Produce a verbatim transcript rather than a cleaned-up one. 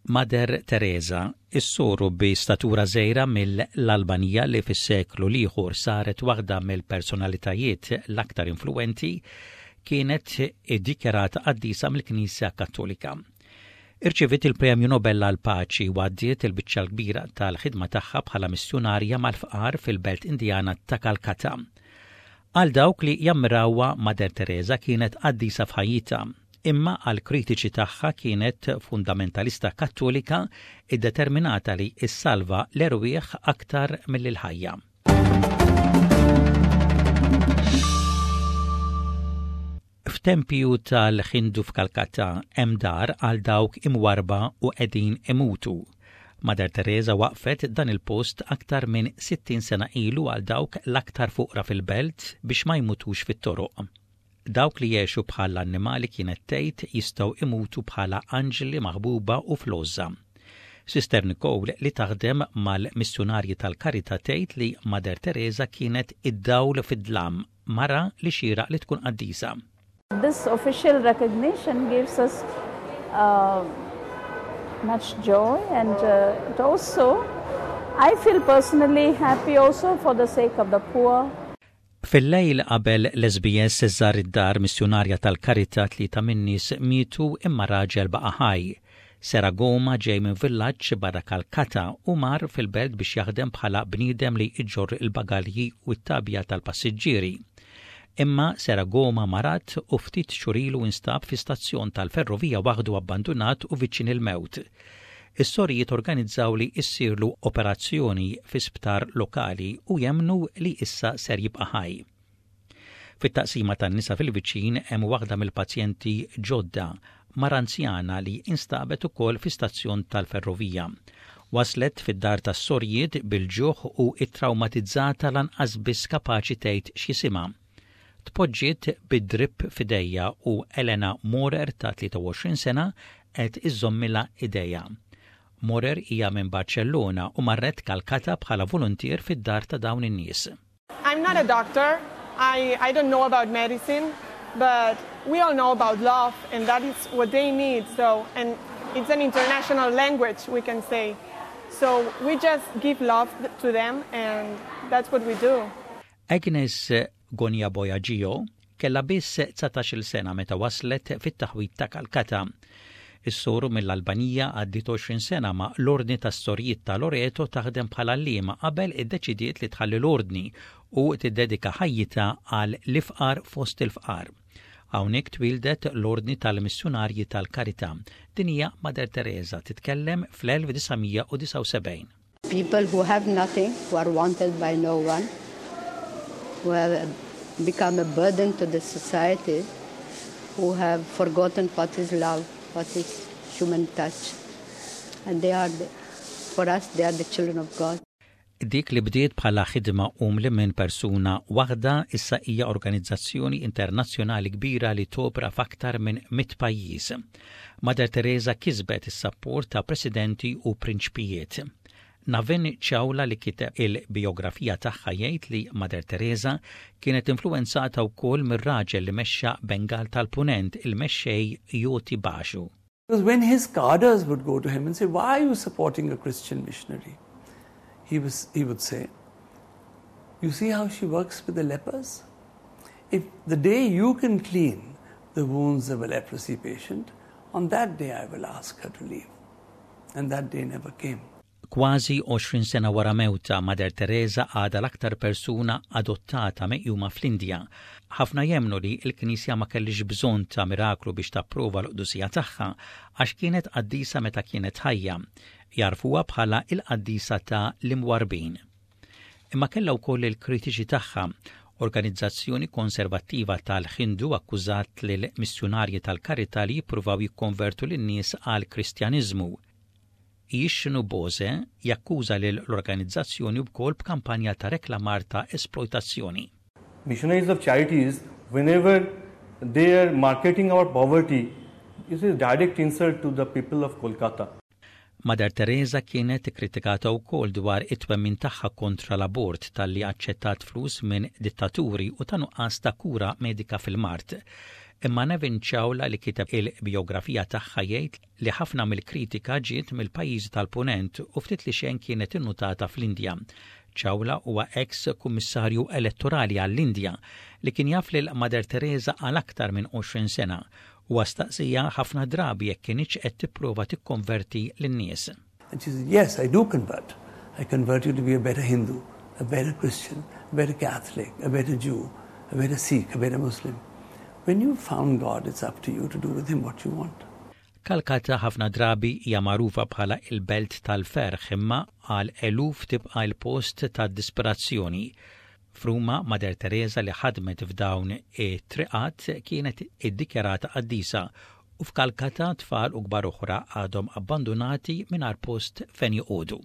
Mother Teresa, is-soru bi statura żgħira mill-Albanija li fis-seklu l-ieħor saret waħda mill-personalitajiet l-aktar influenti, kienet iddikjarata qaddisa mill-Knisja Kattolika. Irċeviet il-Premju Nobel għal Paċi u għaddiet il-biċċa l-kbira tal-ħidma tagħha bħala missjunarja mal-fqar fil-belt Indjana ta' Kalkata. Għal dawk li jammirawha, Mother Teresa kienet qaddisa f'ħajjitha, imma għal kritiċi tagħha kienet fundamentalista Kattolika iddeterminata li issalva l-erwieħ aktar mill-ħajja. F'tempju tal-Ħindu f'Kalkata hemm dar għal dawk imwarba u qegħdin imutu. Mother Teresa waqfet dan il-post aktar minn sittin sena ilu għal dawk l-aktar fuqra fil-belt biex ma jmutux fit-toroq. Dawk li jgħixu bħala annimali, kienet tgħid, jistgħu imutu bħala anġli maħbuba u fl-għożża. Sister Nicole, li taħdem mal-missjunarji tal-Karità, tgħid li Mother Teresa kienet id-dawl fid-dlam, mara li xieraq li tkun qaddisa. This official recognition gives us uh, much joy and uh, it also, I feel personally happy also for the sake of the poor. Fil-lejl qabel l-S B S żar id-dar missjunarja tal-Karità, tlieta min-nies mietu imma raġel baqa' ħaj. Seragoma ġej minn villaġġ barra Kalkata u mar fil-belt biex jaħdem bħala bniedem li iġorr il-bagalji u t-tabja tal-passiġġieri. Imma Seragoma marad u ftit xhur ilu instab fi stazzjon tal-ferrovija waħdu, abbandunat u viċin il-mewt. Is-sorijiet organizzaw li issirlu operazzjoni fi sptar lokali u jemmnu li issa ser jibqa' ħaj. Fit-taqsima tan-nisa fil-viċin hemm waħda mill-pazjenti ġodda, mara anzjana li instabet ukoll fi stazzjon tal-ferrovija. Waslet fid-dar tas-sorijiet bil-ġuħ u ittraumatizzata, lanqas biss kapaċi tgħid x'jisimha. Tpoġġiet bid-drip f'idejha u Elena Morer ta' tlieta u għoxrin sena qed iżommilha idejha. Morer hija minn Barcellona u marret Kalkata bħala voluntier fid-dar ta' dawn in-nies. I'm not a doctor. I, I don't know about medicine, but we all know about love, and that is what they need. So, and it's an international language, we can say. So we just give love to them, and that's what we do. Agnes Gonja Bojaġio kella biss dsatax-il sena meta waslet fit-taħwit ta' Kalkata. Is-soru mill-Albanija għaddiet għoxrin sena ma' l-Ordni tas Sorijiet ta' Loreto taħdem bħala għalliema qabel iddeċidiet li tħalli l-ordni u tiddedika ħajjitha għal l-ifqar fost il-fqar. Hawnhekk twildet l-Ordni tal-Missjunarji tal-Karità. Din hija Mother Teresa titkellem fl-elf disa' mija u disgħa u sebgħin. People who have nothing, who are wanted by no one, who have become a burden to the society, who have forgotten what is love, what is human touch. And they are, the, for us, they are the children of God. Dik li bdiet bħala ħidma umli minn persuna waħda issa hija organizzazzjoni internazzjonali kbira li topra f'aktar minn mitt pajjiż. Mother Teresa kisbet is-sapport ta' presidenti u prinċpijiet. Navin Chawla, li kiteb il-biografija tagħha, jgħid li Mother Teresa kienet influenzata wkoll mir-raġel li mexxa Bengal tal-Punent, il-mexxej Jyoti Basu. Because when his cadres would go to him and say, "Why are you supporting a Christian missionary?" He, was, he would say, "You see how she works with the lepers? If the day you can clean the wounds of a leprosy patient, on that day I will ask her to leave." And that day never came. Kważi għoxrin sena wara mewtha, Mother Teresa għadha l-aktar persuna adottata meqjuma fl-Indja. Ħafna jemmnu li l-Knisja ma kellix bżonn ta' miraklu biex tapprova l-qdusija tagħha għax kienet qaddisa meta kienet ħajja. Jafuha bħala il-qaddisa ta' l-imwarbin. Imma kellha wkoll il-kritiċi tagħha. Organizzazzjoni konservattiva tal-Ħindu akkużat lil missjunarji tal-Karità li jippruvaw jikkonvertu lin-nies għal Kristjaniżmu. Jishnu Bose jakkuża lil l-organizzazzjoni wkoll b'kampanja ta' reklamar ta' esploitazzjoni. Missionaries of Charities, whenever they are marketing our poverty, is a direct insult to the people of Kolkata. Mother Teresa kienet kritikata wkoll dwar it-twemmin tagħha kontra l-abort, talli aċċettat flus minn dittaturi u ta' nuqqas ta' kura medika fil-mard. Imma Nevin Chawla li kiteb il-biografija tagħha jgħid li ħafna mill-kritika ġiet mill-pajjiżi tal-Punent u ftit li xejn kienet innutata fl-Indja. Chawla huwa ex kummissarju elettorali għall-Indja li kien jaf lil Mother Teresa għal aktar minn għoxrin sena u staqsieha ħafna drabi jekk kinitx qed tipprova tikkonverti lin-nies. And she said, "Yes, I do convert. I convert you to be a better Hindu, a better Christian, a better Catholic, a better Jew, a better Sikh, a better Muslim. When you've found God, it's up to you to do with him what you want." Kalkata ħafna drabi hija magħrufa bħala il-belt tal-ferħ, imma għal eluf tibqa' il-post tad-disperazzjoni. F'Ruma, Mother Teresa, li ħadmet f'dawn it-triqat, kienet iddikjarata qaddisa, u f'Kalkata tfal u kbar oħra għadhom abbandonati mingħajr post fejn joqogħdu.